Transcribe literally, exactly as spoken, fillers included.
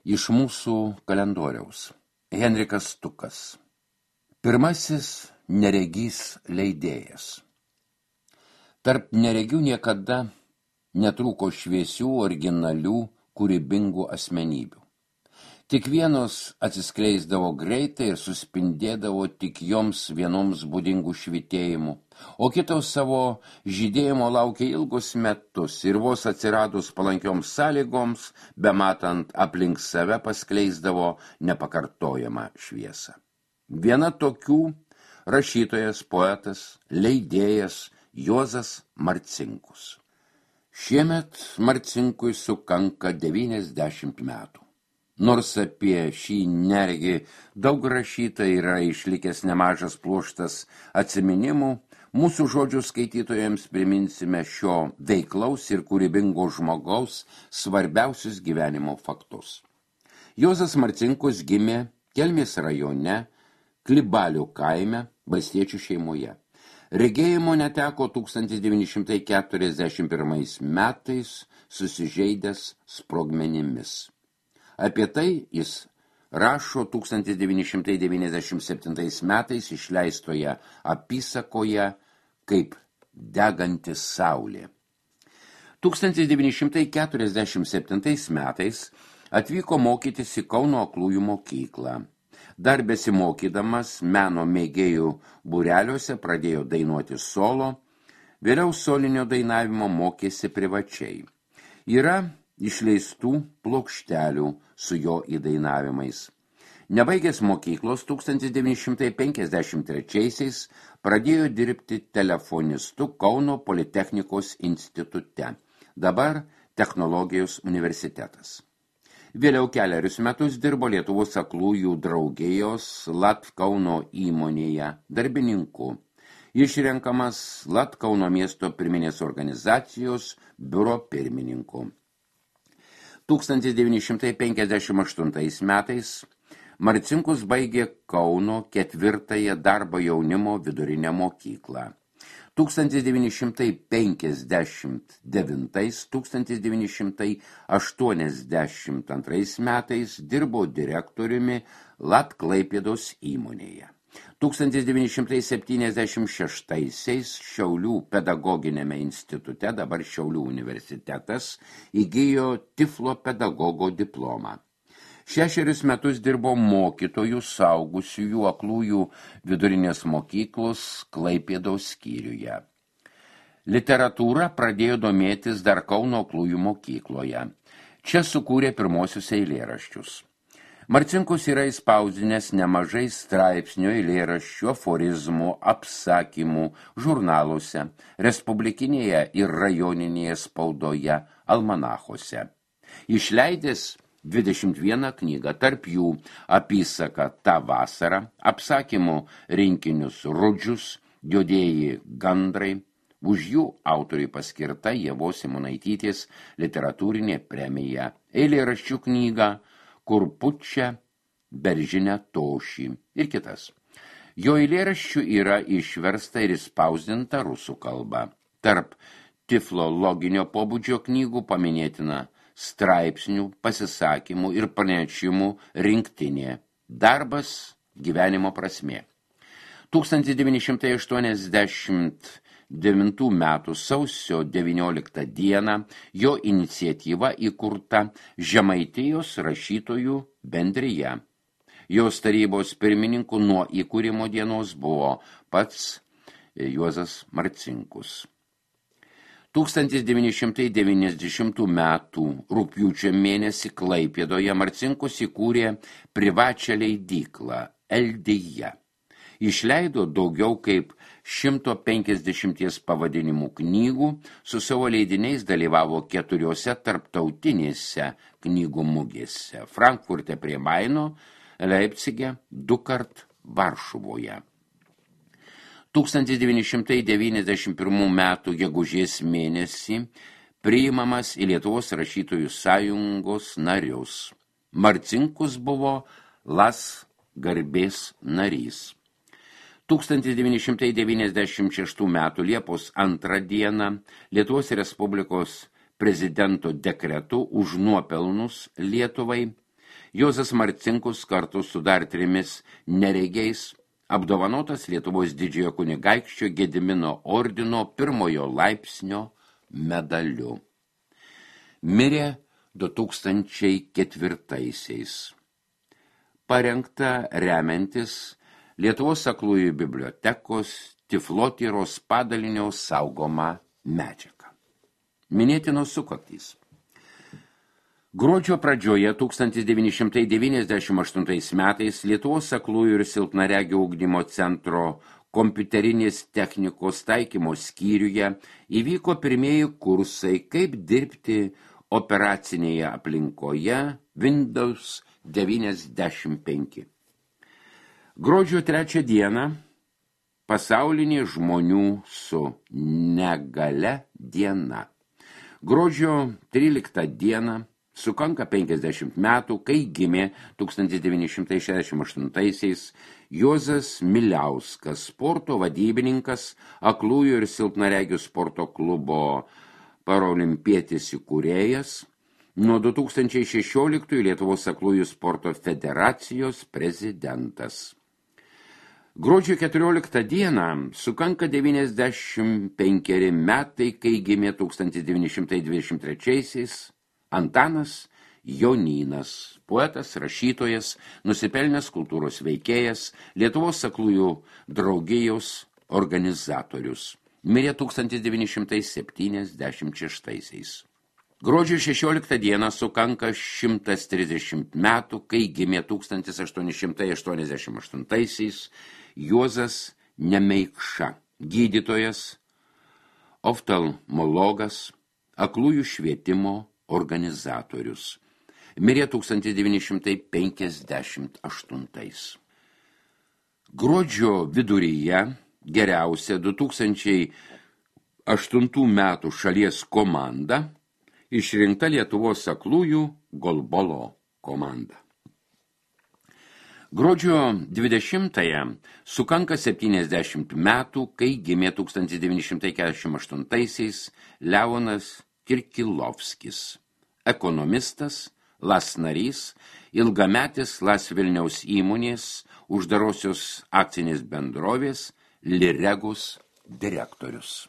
Iš mūsų kalendoriaus. Henrikas Stukas. Pirmasis neregys leidėjas. Tarp neregių niekada netrūko šviesių, originalių, kūrybingų asmenybių. Tik vienos atsiskleisdavo greitai ir suspindėdavo tik joms vienoms būdingų švitėjimų, o kitos savo žydėjimo laukė ilgus metus ir vos atsiradus palankioms sąlygoms, bematant aplink save paskleisdavo nepakartojamą šviesą. Viena tokių rašytojas, poetas, leidėjas Juozas Marcinkus. Šiemet Marcinkui sukanka devyniasdešimt metų. Nors apie šį neregį daug rašyta yra išlikęs nemažas pluoštas atsiminimų, mūsų žodžių skaitytojams priminsime šio veiklaus ir kūrybingo žmogaus svarbiausius gyvenimo faktus. Juozas Marcinkus gimė Kelmės rajone, Klibalių kaime, valstiečių šeimoje. Regėjimo neteko tūkstantis devyni šimtai keturiasdešimt pirmais metais susižeidęs sprogmenimis. Apie tai jis rašo tūkstantis devyni šimtai devyniasdešimt septintais metais išleistoje apysakoje Kaip deganti saulė. tūkstantis devyni šimtai keturiasdešimt septintais metais atvyko mokytis į Kauno aklųjų mokyklą. Dar besimokydamas meno mėgėjų būreliuose pradėjo dainuoti solo, vėliau solinio dainavimo mokėsi privačiai. Yra išleistų plokštelių su jo įdainavimais. Nebaigęs mokyklos tūkstantis devyni šimtai penkiasdešimt trečiaisiais pradėjo dirbti telefonistu Kauno Politechnikos institute, dabar Technologijos universitetas. Vėliau kelerius metus dirbo Lietuvos aklųjų draugijos Latkauno įmonėje darbininku. Išrenkamas Latkauno miesto pirminės organizacijos biuro pirmininku. tūkstantis devyni šimtai penkiasdešimt aštuntais metais Marcinkus baigė Kauno ketvirtąją darbo jaunimo vidurinę mokyklą. tūkstantis devyni šimtai penkiasdešimt devintais - tūkstantis devyni šimtai aštuoniasdešimt antrais metais dirbo direktoriumi Latklaipėdos įmonėje. tūkstantis devyni šimtai septyniasdešimt šeštaisiais Šiaulių pedagoginėme institute, dabar Šiaulių universitetas, įgijo Tiflo pedagogo diplomą. Šešerius metus dirbo mokytojų saugusiųjų aklųjų vidurinės mokyklos Klaipėdos skyriuje. Literatūra pradėjo domėtis dar Kauno aklųjų mokykloje. Čia sukūrė pirmosius eilėraščius. Marcinkus yra įspausdinęs nemažai straipsnių, eilėraščių, aforizmų, apsakymų žurnaluose, respublikinėje ir rajoninėje spaudoje, almanachuose. Išleidęs dvidešimt vieną knygą, tarp jų apysaka Ta vasara, apsakymų rinkinius Rudžius, Juodieji gandrai, už jų autoriui paskirta Ievos Simonaitytės literatūrinė premija, eilėraščių knyga Kur pučia beržinę tošį ir kitas. Jo eilėraščių yra išversta ir įspausdinta rusų kalba. Tarp tiflologinio pobūdžio knygų paminėtina straipsnių, pasisakymų ir pranešimų rinktinė. Darbas gyvenimo prasmė. tūkstantis devyni šimtai aštuoniasdešimt devintų metų sausio devynioliktą dieną jo iniciatyva įkurta Žemaitijos rašytojų bendrija. Jos tarybos pirmininku nuo įkūrimo dienos buvo pats Juozas Marcinkus. tūkstantis devyni šimtai devyniasdešimtų metų rugpjūčio mėnesį Klaipėdoje Marcinkus įkūrė privačią leidyklą Eldija. Išleido daugiau kaip šimto penkiasdešimties pavadinimų knygų, su savo leidiniais dalyvavo keturiose tarptautinėse knygų mugėse – Frankfurte prie Maino, Leipcige, dukart Varšuvoje. tūkstantis devyni šimtai devyniasdešimt pirmų metų gegužės mėnesį priimamas į Lietuvos rašytojų sąjungos narius. Marcinkus buvo Las garbės narys. tūkstantis devyni šimtai devyniasdešimt šeštų metų Liepos antrą dieną Lietuvos Respublikos prezidento dekretu už nuopelnus Lietuvai Juozas Marcinkus kartu su dar trimis neregiais apdovanotas Lietuvos didžiojo kunigaikščio Gedimino ordino pirmojo laipsnio medaliu. Mirė du tūkstančiai ketvirtaisiais. Parengta remiantis Lietuvos aklųjų bibliotekos Tiflotyros padalinio saugoma medžiaga. Minėtinos sukaktys. Gruodžio pradžioje tūkstantis devyni šimtai devyniasdešimt aštuntais metais Lietuvos aklųjų ir silpnaregių ugdymo centro kompiuterinės technikos taikymo skyriuje įvyko pirmieji kursai, kaip dirbti operacinėje aplinkoje Windows devyniasdešimt penki. Gruodžio trečią dieną pasaulinė žmonių su negale diena. Gruodžio tryliktą dieną sukanka penkiasdešimt metų, kai gimė tūkstantis devyni šimtai šešiasdešimt aštuntaisiais Juozas Miliauskas, sporto vadybininkas, aklųjų ir silpnaregių sporto klubo parolimpietis įkūrėjas, nuo du tūkstančiai šešioliktųjų Lietuvos aklųjų sporto federacijos prezidentas. Gruodžio keturioliktą dieną sukanka devyniasdešimt penkeri metai, kai gimė tūkstantis devyni šimtai dvidešimt trečiaisiais Antanas Jonynas, poetas, rašytojas, nusipelnęs kultūros veikėjas, Lietuvos aklųjų draugijos organizatorius. Mirė tūkstantis devyni šimtai septyniasdešimt šeštaisiais. Gruodžio šešioliktą dieną sukanka šimtas trisdešimt metų, kai gimė tūkstantis aštuoni šimtai aštuoniasdešimt aštuntaisiais Juozas Nemeikša, gydytojas, oftalmologas, aklųjų švietimo organizatorius. Mirė tūkstantis devyni šimtai penkiasdešimt aštuntais. Gruodžio viduryje geriausia du tūkstančiai aštuntų metų šalies komanda išrinkta Lietuvos aklųjų golbolo komanda. Gruodžio dvidešimtąją sukanka septyniasdešimt metų, kai gimė tūkstantis devyni šimtai keturiasdešimt aštuntaisiais Leonas Kirkilovskis, ekonomistas, Las narys, ilgametis Las Vilniaus įmonės uždarosios akcinės bendrovės Liregus direktorius.